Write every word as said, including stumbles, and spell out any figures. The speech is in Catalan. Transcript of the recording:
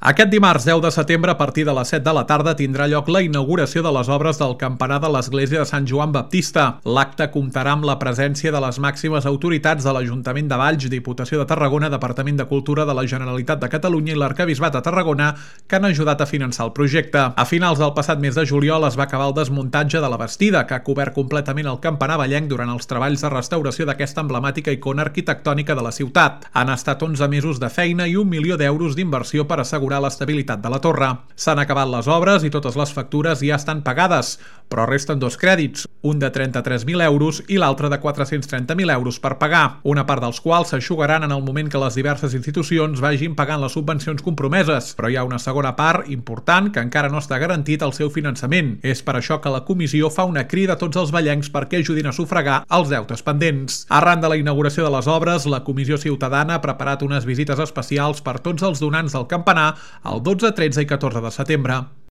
Aquest dimarts deu de setembre, a partir de les set de la tarda, tindrà lloc la inauguració de les obres del campanar de l'església de Sant Joan Baptista. L'acte comptarà amb la presència de les màximes autoritats de l'Ajuntament de Valls, Diputació de Tarragona, Departament de Cultura de la Generalitat de Catalunya i l'Arquebisbat de Tarragona, que han ajudat a finançar el projecte. A finals del passat mes de juliol es va acabar el desmuntatge de la bastida, que ha cobert completament el campanar vallenc durant els treballs de restauració d'aquesta emblemàtica icona arquitectònica de la ciutat. Han estat onze mesos de feina i un milió d'euros d'inversió per assegurar l'estabilitat de la torre. S'han acabat les obres i totes les factures ja estan pagades, però resten dos crèdits, un de trenta-tres mil euros i l'altre de quatre-cents trenta mil euros per pagar, una part dels quals s'eixugaran en el moment que les diverses institucions vagin pagant les subvencions compromeses, però hi ha una segona part important que encara no està garantit el seu finançament. És per això que la comissió fa una crida a tots els vallencs perquè ajudin a sufragar els deutes pendents. Arran de la inauguració de les obres, la Comissió Ciutadana ha preparat unes visites especials per tots els donants del campanar el dotze, tretze i catorze de setembre.